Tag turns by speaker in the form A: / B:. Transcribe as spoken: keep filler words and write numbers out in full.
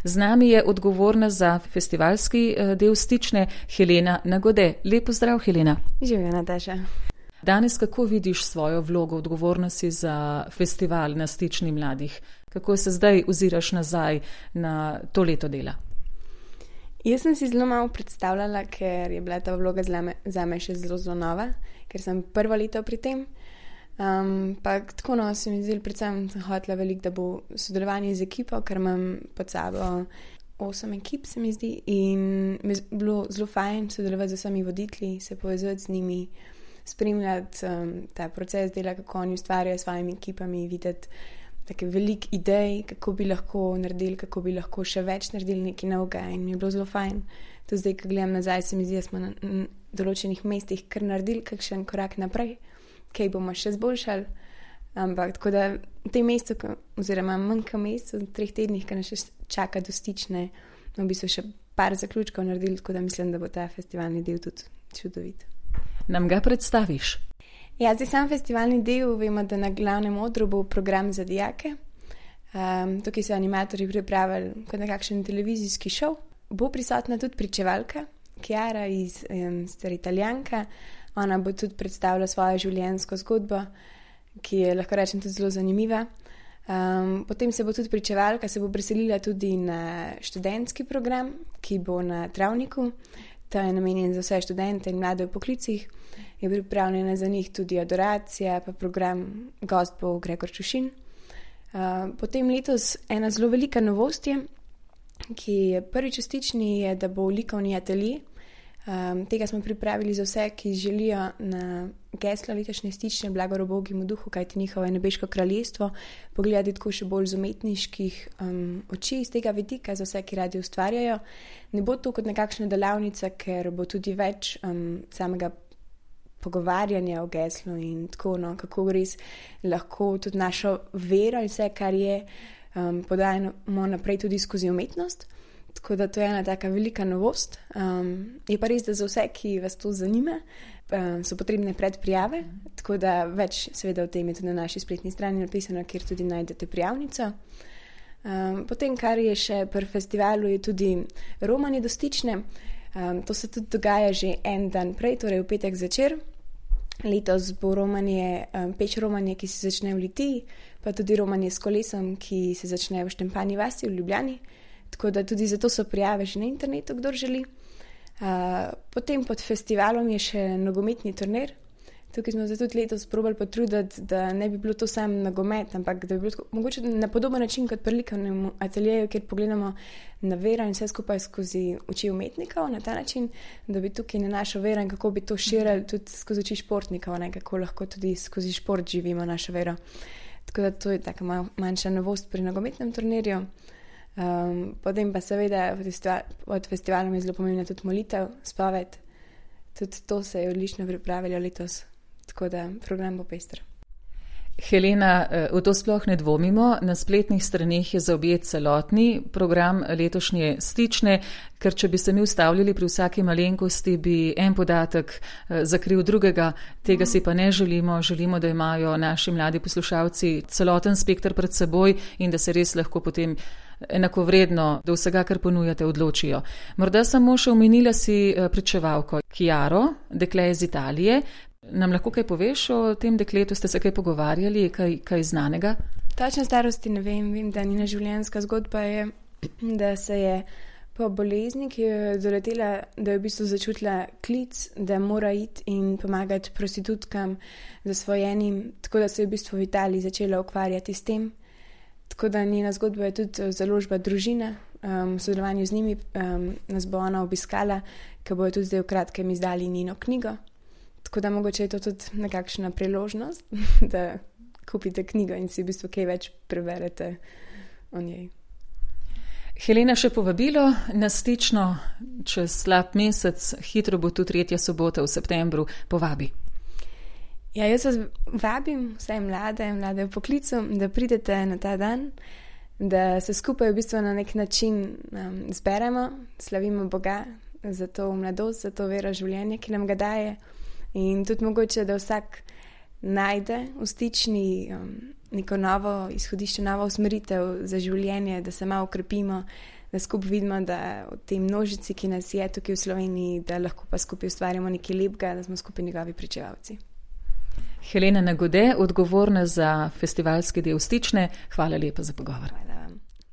A: Z nami je odgovorna za festivalski del Stične Helena Nagode. Lep pozdrav, Helena.
B: Živjo, Nataša.
A: Danes kako vidiš svojo vlogo odgovornosti za festival na Stični mladih? Kako se zdaj oziraš nazaj na to leto dela?
B: Jaz sem si zelo malo predstavljala, ker je bila ta vloga za me še zelo, zelo nova, ker sem prvo leto pri tem. Um, pa tako no, se mi zdelo, predvsem sem hotela veliko, da bo sodelovanje z ekipo, ker imam pod sabo osem ekip, se mi zdi, in mi je bilo zelo fajn sodelovati z vsemi voditelji, se povezati z njimi, spremljati um, ta proces dela, kako oni ustvarjajo s svojimi ekipami, videti take veliko idej, kako bi lahko naredili, kako bi lahko še več naredili nekaj novega, in mi je bilo zelo fajn. To zdaj, ko gledam nazaj, se mi zdi, da smo na, na določenih mestih kar naredili kakšen korak naprej, kaj bomo še zboljšali. Ampak tako da v tem mestu, oziroma manjka mestu, v treh tednih, ki nas še čaka do Stične, no, bi so še par zaključkov naredili, tako da mislim, da bo ta festivalni del tudi čudovit.
A: Nam ga predstaviš?
B: Ja, zdaj sam festivalni del, vemo, da na glavnem odru bo program za dijake. Um, tukaj so animatorji pripravili kot nekakšen televizijski šov. Bo prisotna tudi pričevalka, Chiara, iz um, stara Italijanka. Ona bo tudi predstavila svojo življenjsko zgodbo, ki je lahko rečem tudi zelo zanimiva. Um, potem se bo tudi pričevalka, se bo preselila tudi na študentski program, ki bo na Travniku. Ta je namenjen za vse študente in mlade v poklicih. Je pripravljena za njih tudi adoracija, pa program gost bo Gregor Čušin. Uh, potem letos ena zelo velika novost je, ki je prvič v Stični, je, da bo likovni atelje. Um, tega smo pripravili za vse, ki želijo na geslo letošnje Stične Blagor ubogemu duhu, kajti njihovo je nebeško kraljestvo, pogledati tako še bolj z umetniških um, oči iz tega vidika, za vse, ki radi ustvarjajo. Ne bo to kot nekakšna delavnica, ker bo tudi več um, samega pogovarjanja o geslu in tako, no, kako res lahko tudi našo vero in vse, kar je, um, podajamo naprej tudi skozi umetnost. Tako da to je ena taka velika novost. Um, je pa res, da za vse, ki vas to zanima, um, so potrebne predprijave, tako da več seveda o tem je tudi na naši spletni strani napisano, kjer tudi najdete prijavnico. Um, potem, kar je še pri festivalu, je tudi romanje do Stične. Um, to se tudi dogaja že en dan prej, torej v petek zvečer. Letos bo romanje, um, peč romanje, ki se začne v Litiji, pa tudi romanje s kolesom, ki se začne v Štempanji vasi v Ljubljani. Tako da tudi zato so prijave že na internetu, kdor želi. Uh, potem pod festivalom je še nogometni turnir. Tukaj smo se tudi letos probali potruditi, da ne bi bilo to sam nogomet, ampak da bi bilo tako, mogoče na podoben način kot pri likovnem ateljeju, kjer pogledamo na vero in vse skupaj skozi oči umetnikov, na ta način, da bi tukaj na našo vero in kako bi to širili tudi skozi oči športnikov, ne, kako lahko tudi skozi šport živimo našo vero. Tako da to je taka manjša novost pri nogometnem turnirju. Um, potem pa seveda festival, od festivalom je zelo pomembna tudi molitev, spoved. Tudi to se je odlično pripravilo letos, tako da program bo pester.
A: Helena, v to sploh ne dvomimo, na spletnih straneh je zaobjet celotni program letošnje Stične, ker če bi se mi ustavljali pri vsaki malenkosti, bi en podatek zakril drugega, tega si pa ne želimo, želimo, da imajo naši mladi poslušalci celoten spekter pred seboj in da se res lahko potem enakovredno do vsega, kar ponujate, odločijo. Morda samo še omenila si pričevalko Chiaro, dekle iz Italije. Nam lahko kaj poveš o tem dekletu, ste se kaj pogovarjali, kaj, kaj znanega?
B: Točno starosti ne vem, vem, da njena življenjska zgodba je, da se je po bolezni, ki jo je doletela, da je v bistvu začutila klic, da mora iti in pomagati prostitutkam zasvojenim, tako da se je v bistvu v Italiji začela ukvarjati s tem. Tako da njena zgodba je tudi založba Družina, um, v sodelovanju z njimi um, nas bo ona obiskala, ker bojo tudi zdaj v kratkem izdali njeno knjigo. Tako da mogoče je to tudi nekakšna priložnost, da kupite knjigo in si v bistvu kaj več preberete o njej.
A: Helena, še povabilo na Stično čez slab mesec, hitro bo tu tretja sobota v septembru, povabi.
B: Ja, jaz vas vabim, vse mlade, mlade v poklicu, da pridete na ta dan, da se skupaj v bistvu na nek način um, zberemo, slavimo Boga za to mladost, za to vero življenje, ki nam ga daje. In tudi mogoče, da vsak najde v Stični um, neko novo izhodišče, novo usmeritev za življenje, da se malo ukrepimo, da skupaj vidimo, da v tej množici, ki nas je tukaj v Sloveniji, da lahko pa skupaj ustvarjamo nekaj lepega, da smo skupaj njegovi pričevalci.
A: Helena Nagode, odgovorna za festivalski del Stične, hvala lepa za pogovor.
B: Hvala.